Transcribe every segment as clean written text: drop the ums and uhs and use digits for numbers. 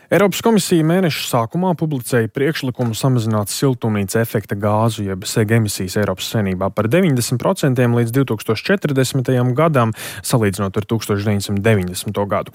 Eiropas komisija mēneša sākumā publicēja priekšlikumu samazināt siltumnīca efekta gāzu jeb SEG emisijas Eiropas Savienībā par 90% līdz 2040. gadam, salīdzinot ar 1990. gadu.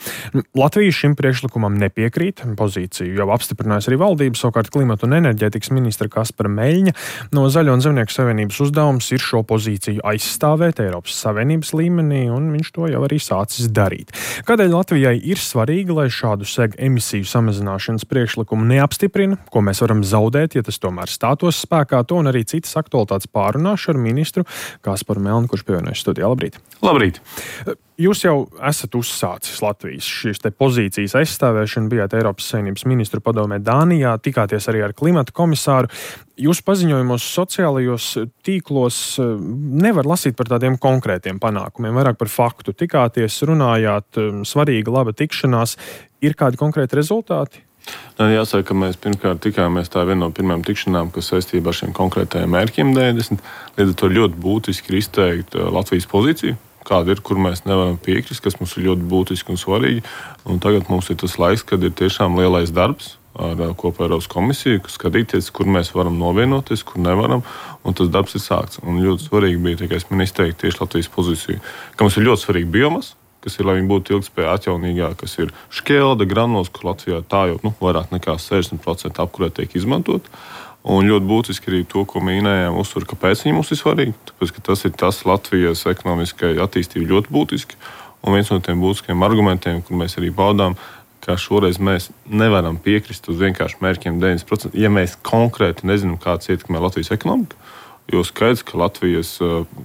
Latvija šim priekšlikumam nepiekrīt. Pozīciju jau apstiprinājusi arī valdība, savukārt klimata un enerģētikas ministra Kaspara Meļņa no Zaļo un Zemnieku savienības uzdevums ir šo pozīciju aizstāvēt Eiropas Savienības līmenī, un viņš to jau arī sācis darīt. Kādēļ Latvijai ir svarīgi, lai šādu SEG emisiju samazināšanas priekšlikumu neapstiprina, ko mēs varam zaudēt, ja tas tomēr stātos spēkā? To un arī citas aktualitātes pārunāšu ar ministru Kasparu Melni, kurš pievienojas studijā. Labrīt! Labrīt! Jūs jau esat uzsācis Latvijas šīs te pozīcijas aizstāvēšanu, bijāt Eiropas Savienības ministru padomē Dānijā, tikāties arī ar klimata komisāru. Jūsu paziņojumos sociālajos tīklos nevar lasīt par tādiem konkrētiem panākumiem, vairāk par faktu. Tikāties, runājāt, svarīga, laba tikšanās. Ir kādi konkrēti rezultāti? Jāsaka, ka mēs pirmkārt tikāmies, tā viena no pirmajām tikšanām, kas saistībā ar šiem konkrētajiem mērķiem 90. Līdz ar to ļoti būtiski ir izteikt Latvijas pozīciju, kāda ir, kur mēs nevaram piekrist, kas mums ir ļoti būtiski un svarīgi. Un tagad mums ir tas laiks, kad ir tiešām lielais darbs ar kopā Eiropas komisiju, skatīties, kur mēs varam novienoties, kur nevaram, un tas darbs ir sākts. Un ļoti svarīgi bija tikai izteikt tieši Latvijas pozīciju, ka mums ir ļoti svarīgi biomasa, kas ir, lai viņi būtu ilgspējīgi atjaunīgā, kas ir šķelde, granulas, kur Latvijā tā jau vairāk nekā 60% apkurē tiek izmantot. Un ļoti būtiski arī to, ko minējām, uzsver, kāpēc viņi mums ir svarīgi. Tāpēc, ka tas ir tas Latvijas ekonomiskai attīstībai ļoti būtiski. Un viens no tiem būtiskiem argumentiem, kur mēs arī baudām, ka šoreiz mēs nevaram piekrist uz vienkārši mērķiem 90%, ja mēs konkrēti nezinām, kāds ietekmē Latvijas ekonomiku. Jo skaidrs, ka Latvijas,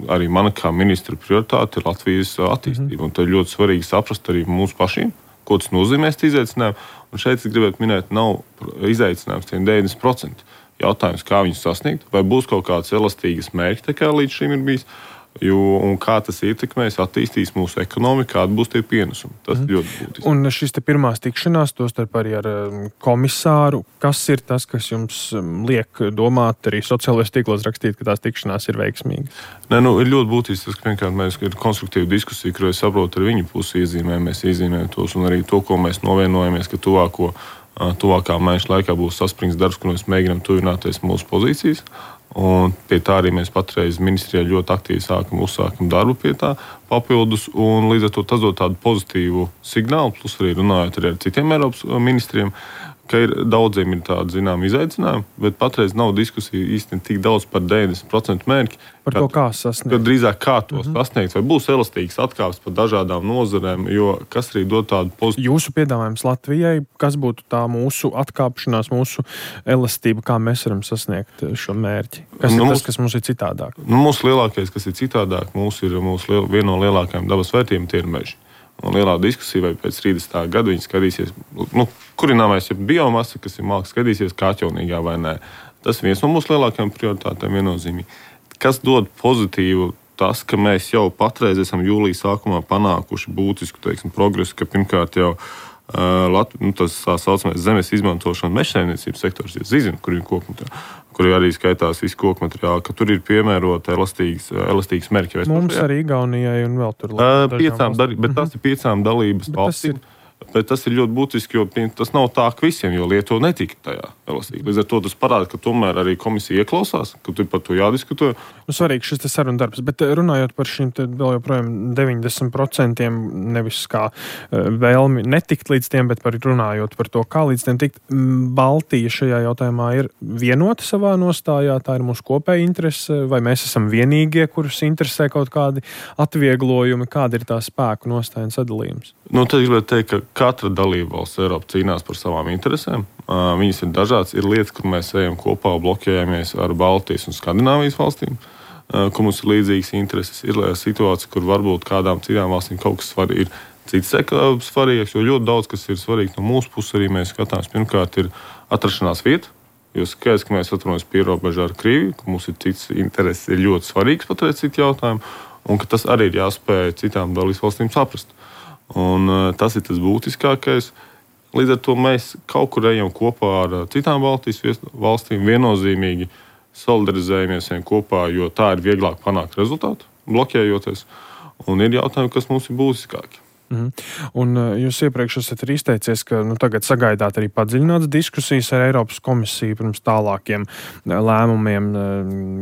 arī mana kā ministra prioritāte ir Latvijas attīstība. Un tad ļoti svarīgi saprast arī mums pašiem, ko tas nozīmē izaicinājumi. Un šeit es gribētu minēt, nav izaicinājums tiem 90%. Jautājums, kā viņus sasniegt, vai būs kaut kāds elastīgas mērķi, kā līdz šim ir bijis, un kā tas ietekmēs, attīstīs mūsu ekonomiku, kāda būs tie pienesumi. Tas ir ļoti būtiski. Un šis te pirmās tikšanās, tostarp arī ar komisāru, kas ir tas, kas jums liek domāt, arī sociālajos tīklos rakstīt, ka tās tikšanās ir veiksmīgas? Ir ļoti būtiski tas, ka vienkārši mēs ir konstruktīva diskusija, kur es saprotu ar viņu pusi mēs iezīmējam tos, un arī to, ko mēs novienojamies, ka tuvākā mēneša laikā būs saspringts darbs, kur mēs mēģinām tuvināties mūsu pozīcijas. Un pie tā arī mēs patreiz ministrijā ļoti aktīvi uzsākam darbu pie tā papildus. Un līdz ar to tas dod tādu pozitīvu signālu, plus arī runājot arī ar citiem Eiropas ministriem, ka daudziem ir tādi zināmi izaicinājumi, bet patreiz nav diskusija īstenībā tik daudz par 90% mērķi. Par to, kā sasniegt. Drīzāk kā to sasniegt, vai būs elastīgas atkāpes par dažādām nozarēm, jo kas arī dod tādu pozitīvu. Jūsu piedāvājums Latvijai, kas būtu tā mūsu atkāpšanās, mūsu elastība, kā mēs varam sasniegt šo mērķi? Kas ir tas, kas mums ir citādāk? Mūsu lielākais, kas ir citādāk, viena no lielākajām dabas vērtībām, tie ir meži. Un lielā diskusija, vai pēc 30. gada viņi skatīsies, kurināmais ir biomasa, kas ir malks, skatīsies kā atjaunīgā vai nē. Tas ir viens no mūsu lielākajām prioritātēm viennozīmīgi. Kas dod pozitīvu, tas, ka mēs jau patreiz esam jūlijas sākumā panākuši būtisku, progresu, ka pirmkārt jau tas tā saucamais zemes izmantošana mežsaimniecības sektors, zina, kur ir kokmateriāli, kur arī skaitās visu kokmateriāli, ka tur ir piemērota elastīgas mērķi. Mums arī Igaunijai un vēl tur. Bet tas ir 5 dalības valstīm. Bet tas ir ļoti būtiski, jo tas nav tā, ka visiem, jo Lietuva netika tajā elastīgi. Līdz ar to tas parāda, ka tomēr arī komisija ieklausās, ka tur par to jādiskutē. Svarīgi šis sarunu darbs, bet runājot par šīm vēl joprojām 90%, nevis kā vēlmi netikt līdz tiem, bet runājot par to, kā līdz tiem tikt, Baltija šajā jautājumā ir vienota savā nostājā, tā ir mūsu kopēja interese, vai mēs esam vienīgie, kurus interesē kaut kādi atvieglojumi, kāda ir tā spēku nostāja un sadalījums? Tad gribētu teikt, ka katra dalībvalsts Eiropa cīnās par savām interesēm. Viņas ir dažādas. Ir lietas, kur mēs ejam kopā un bloķējamies ar Baltijas un Skandināvijas valstīm, kur mums ir līdzīgas intereses. Ir situācija, kur varbūt kādām citām valstīm kaut kas ir cits svarīgs, jo ļoti daudz, kas ir svarīgs no mūsu puses, arī mēs skatāmies. Pirmkārt, ir atrašanās vieta, jo skaidrs, ka mēs atrodamies pierobežā ar Krieviju, ka mums ir cits intereses, ir ļoti svarīgs patreiz citu jautājumu, un ka tas arī ir jāspēj citām dalībvalstīm saprast. Un tas ir tas būtiskākais. Līdz ar to mēs kaut kur ejam kopā ar citām Baltijas valstīm, viennozīmīgi solidarizējamies kopā, jo tā ir vieglāk panākt rezultātu, bloķējoties. Un ir jautājumi, kas mums ir būtiskāki. Un jūs iepriekš esat arī izteicies, ka tagad sagaidāt arī padziļinātas diskusijas ar Eiropas komisiju pirms tālākiem lēmumiem.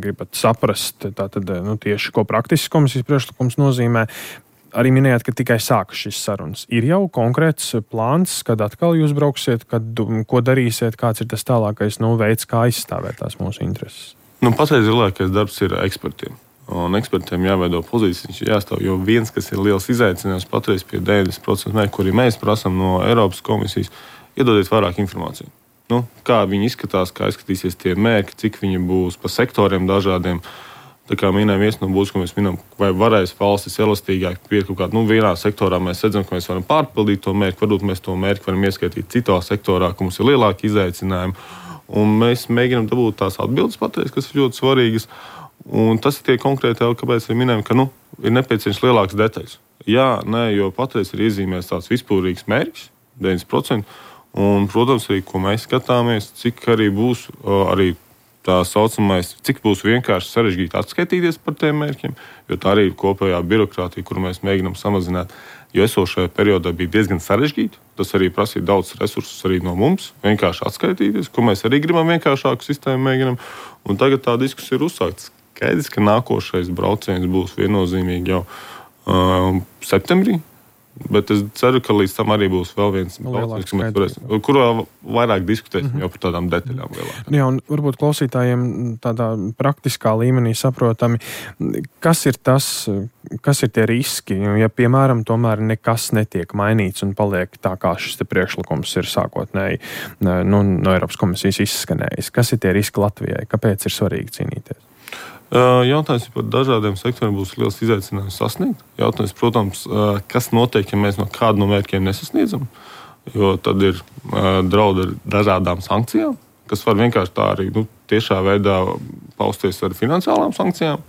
Gribat saprast, tātad, tieši ko praktisks komisijas priekšlikums nozīmē. Arī minējāt, ka tikai sākas šīs sarunas. Ir jau konkrēts plāns, kad atkal jūs brauksiet, ko darīsiet, kāds ir tas tālākais veids, kā aizstāvēt tās mūsu intereses? Patreiz lielākais darbs ir ekspertiem. Un ekspertiem jāveido pozīcijas, viņš ir jāstāv, jo viens, kas ir liels izaicinājums patreiz pie 90% mērķu, kuri mēs prasām no Eiropas komisijas, iedodiet vairāk informāciju. Kā viņi izskatās, kā izskatīsies tie mērķi, cik viņi būs pa sektoriem dažādiem. Tā kā minēja viens no būs, ko mēs minam, vai varēs valstis elastīgāk pieiet kaut kādā, vienā sektorā mēs redzam, ka mēs varam pārpildīt to mērķi, varbūt mēs to mērķi varam ieskaitīt citā sektorā, ka mums ir lielāki izaicinājumi. Un mēs mēģinām dabūt tās atbildes patreiz, kas ir ļoti svarīgas. Un tas ir tie konkrēti, kāpēc arī minējam, ka ir nepieciešams lielāks detaļas. Jā, nē, jo patreiz ir iezīmēts tāds vispārīgs mērķis, 90%. Un, protams, arī, ko mēs skatāmies, cik arī būs arī tā saucamais, cik būs vienkārši sarežģīti atskaitīties par tiem mērķiem, jo tā arī ir kopējā birokrātija, kuru mēs mēģinām samazināt. Jo esošajā periodā bija diezgan sarežģīti, tas arī prasīja daudz resursus arī no mums, vienkārši atskaitīties, ko mēs arī gribam vienkāršāku sistēmu mēģinam. Un tagad tā diskusija ir uzsākta. Skaidrs, ka nākošais brauciens būs viennozīmīgi jau septembrī. Bet es ceru, ka līdz tam arī būs vēl viens brauciens, kurā vairāk diskutēsim jau par tādām detaļām. Jā, un varbūt klausītājiem tādā praktiskā līmenī saprotami, kas ir tie riski, ja, piemēram, tomēr nekas netiek mainīts un paliek tā, kā šis te priekšlikums ir sākotnēji no Eiropas komisijas izskanējis. Kas ir tie riski Latvijai? Kāpēc ir svarīgi cīnīties? Jautājums par dažādiem sektoriem būs liels izaicinājums sasniegt. Jautājums, protams, kas notiek, ja mēs no kādu no mērķiem nesasniedzam, jo tad ir draudi ar dažādām sankcijām, kas var vienkārši tā arī tiešā veidā pausties ar finansiālām sankcijām.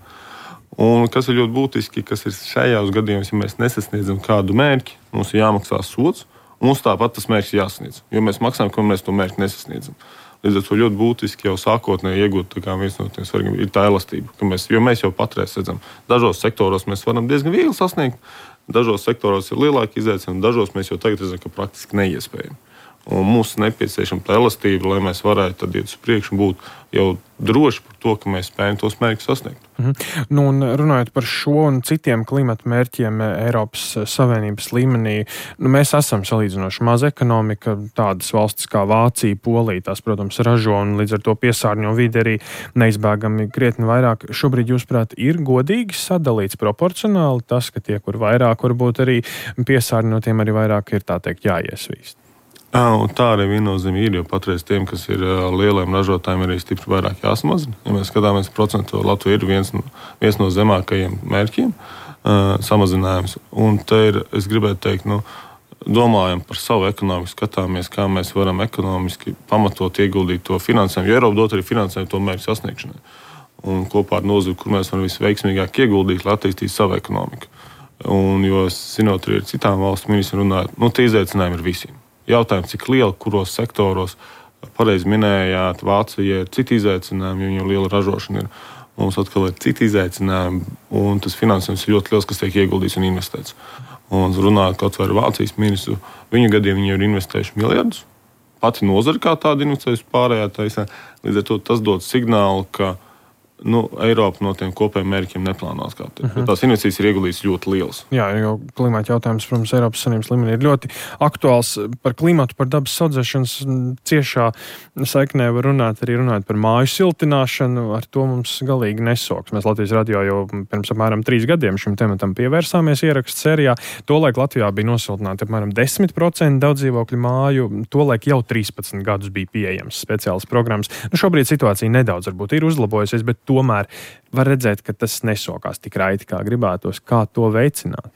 Un kas ir ļoti būtiski, kas ir šajos gadījumos, ja mēs nesasniedzam kādu mērķi, mums ir jāmaksā sods, un mums tāpat tas mērķis jāsasniedz, jo mēs maksājam, ka mēs to mērķi nesasniedzam. Līdz ar to ļoti būtiski jau sākotnēji iegūt viens no tiem svarīgiem ir tā elastība, jo mēs jau patreiz redzam, dažos sektoros mēs varam diezgan viegli sasniegt, dažos sektoros ir lielāki izaicinājumi, dažos mēs jau tagad redzam, ka praktiski neiespējami. Un mums ir nepieciešama tā elastība, lai mēs varētu tad iet uz priekšu un būt jau droši par to, ka mēs spējam tos mērķus sasniegt. Un runājot par šo un citiem klimata mērķiem Eiropas Savienības līmenī, mēs esam salīdzinoši maza ekonomika, tādas valstis kā Vācija, Polija, tās, protams, ražo un līdz ar to piesārņo vidi arī neizbēgami krietni vairāk. Šobrīd, jūsuprāt, ir godīgi sadalīts proporcionāli tas, ka tie, kur vairāk varbūt arī piesārņo, tiem arī vairāk ir, tā teikt, jāiesvīst. Un tā arī viennozīmīgi ir, jo patreiz tiem, kas ir lieliem ražotājiem, arī stipri vairāk jāsamazina. Ja mēs skatāmies procentu, Latvija ir viens no zemākajiem mērķiem samazinājums. Un te ir, es gribētu teikt, domājam par savu ekonomiku, skatāmies, kā mēs varam ekonomiski pamatot ieguldīt to finansējumu, jo Eiropa dot arī finansējumu to mērķu sasniegšanai. Un kopā ar nozari, kur mēs varam visveiksmīgāk ieguldīt, lai attīstītu savu ekonomiku. Un, jo, zinot, arī ar citām valsts ministriem runājot, tie izaicinājumi ir visiem. Jautājums, cik liela, kuros sektoros, pareizi minējāt, Vācija ir citi izaicinājumi, jo viņam liela ražošana ir. Mums atkal ir citi izaicinājumi, un tas finansējums ir ļoti liels, kas tiek ieguldīts un investēts. Un runājot kaut vai ar Vācijas ministru, viņu gadiem viņi ir investējuši miljardus. Pati nozara kā tāda investējusi pārējā taisā. Līdz ar to tas dod signālu, ka Eiropa no tiem kopējiem mērķiem neplānās kā te. Tās investīcijas ir ieguldītas ļoti lielas. Jā, jo klimata jautājums, protams, Eiropas Savienības līmenī ir ļoti aktuāls. Par klimatu, par dabas saudzēšanas ciešā saiknē var runāt arī runājot par māju siltināšanu. Ar to mums galīgi nesoks. Mēs Latvijas radio jau pirms apmēram 3 gadiem šim tematam pievērsāmies ierakstu sērijā. Tolaik Latvijā bija nosiltināti apmēram 10% daudz dzīvokļu māju. Tolaik jau 13 gadus bija pieejams speciāls programmas. Šobrīd situācija nedaudz varbūt ir uzlabojusies, bet tomēr var redzēt, ka tas nesokās tik raiti, kā gribētos. Kā to veicināt?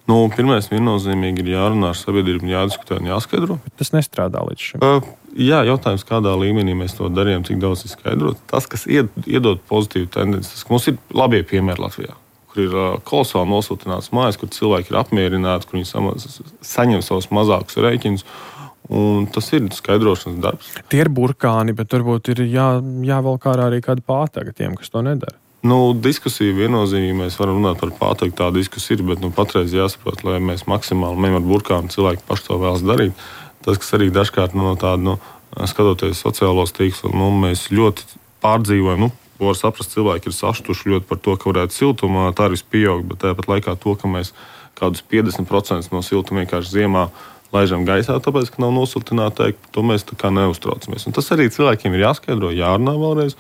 Pirmais viennozīmīgi ir jārunā ar sabiedrību, jādiskutē un jāskaidro. Bet tas nestrādā līdz šim. Jā, jautājums, kādā līmenī mēs to darījām, cik daudz ir skaidrot. Tas, kas iedod pozitīvu tendenci, tas, ka mums ir labie piemēri Latvijā, kur ir kolosāli nosiltināts mājas, kur cilvēki ir apmierināti, kur viņi saņem savus mazākus rēķinus. Un tas ir skaidrošanas darbs. Tie ir burkāni, bet varbūt ir jāvelk ārā arī kāda pātaga tiem, kas to nedara. Diskusija viennozīmīgi mēs varam runāt par pātagu, tā diskusija ir, bet patreiz jāsaprot, lai mēs maksimāli mēm ar burkānu cilvēki paši to vēlas darīt. Tas, kas arī dažkārt skatoties sociālos tīklus, mēs ļoti pārdzīvojam. Var saprast, cilvēki ir sašutuši ļoti par to, ka varētu siltumā tarifs pieaugt, bet tāpat laikā to, ka mēs kādus 50% no siltuma vienkārši ziemā laižam gaisā, tāpēc, ka nav nosiltināta ēka, to mēs tā kā neuztraucamies. Un tas arī cilvēkiem ir jāskaidro, jārunā vēlreiz.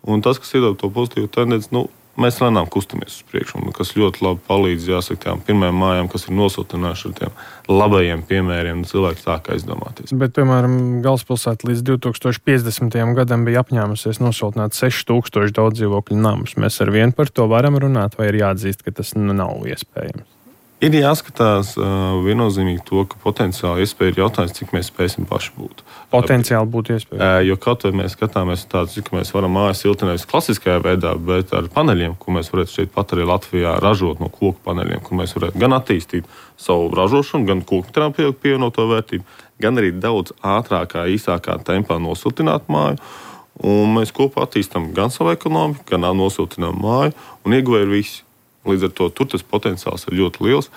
Un tas, kas iedod to pozitīvu tendenci, mēs lēnām kustamies uz priekšu, kas ļoti labi palīdz, jāsaka, tām pirmajām mājām, kas ir nosiltinājuši ar tiem labajiem piemēriem, cilvēki sāk aizdomāties. Bet, piemēram, galvaspilsēta līdz 2050. gadam bija apņēmusies nosiltināt 6000 daudzdzīvokļu namus. Mēs ar vienu par to varam runāt, vai ir jāatzīst, ka tas nav iespējams? Ir jāskatās viennozīmīgi to, ka potenciāli iespēja ir jautājums, cik mēs spēsim paši būt. Potenciāli būtu iespēja. Jo kaut vai mēs skatāmies tādu, cik mēs varam mājas siltināt klasiskajā veidā, bet ar paneļiem, ko mēs varētu šeit pat arī Latvijā ražot no koku paneļiem, kur mēs varētu gan attīstīt savu ražošanu, gan koku pievienoto vērtību, gan arī daudz ātrākā, īsākā tempā nosiltināt māju. Un mēs kopā attīstam gan savu ekonomiku, gan nosiltinām māju, un ieguvēji ir visi. Līdz ar to tur tas potenciāls ir ļoti liels.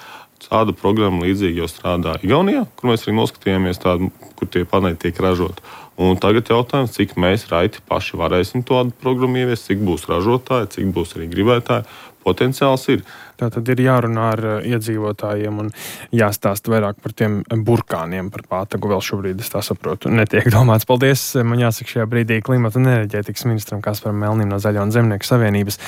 Tāda programma līdzīgi jau strādā Igaunijā, kur mēs arī noskatījāmies tādu, kur tie paneļi tiek ražoti. Un tagad jautājums, cik mēs raiti paši varēsim tādu programmu ieviest, cik būs ražotāji, cik būs arī gribētāji. Potenciāls ir. Tā tad ir jārunā ar iedzīvotājiem un jāstāst vairāk par tiem burkāniem, par pātagu. Vēl šobrīd, es tā saprotu, netiek domāts. Paldies, man jāsaka šajā brīdī klimata un enerģētikas ministram Kasparam Melnim no Zaļo un Zemnieku savienības.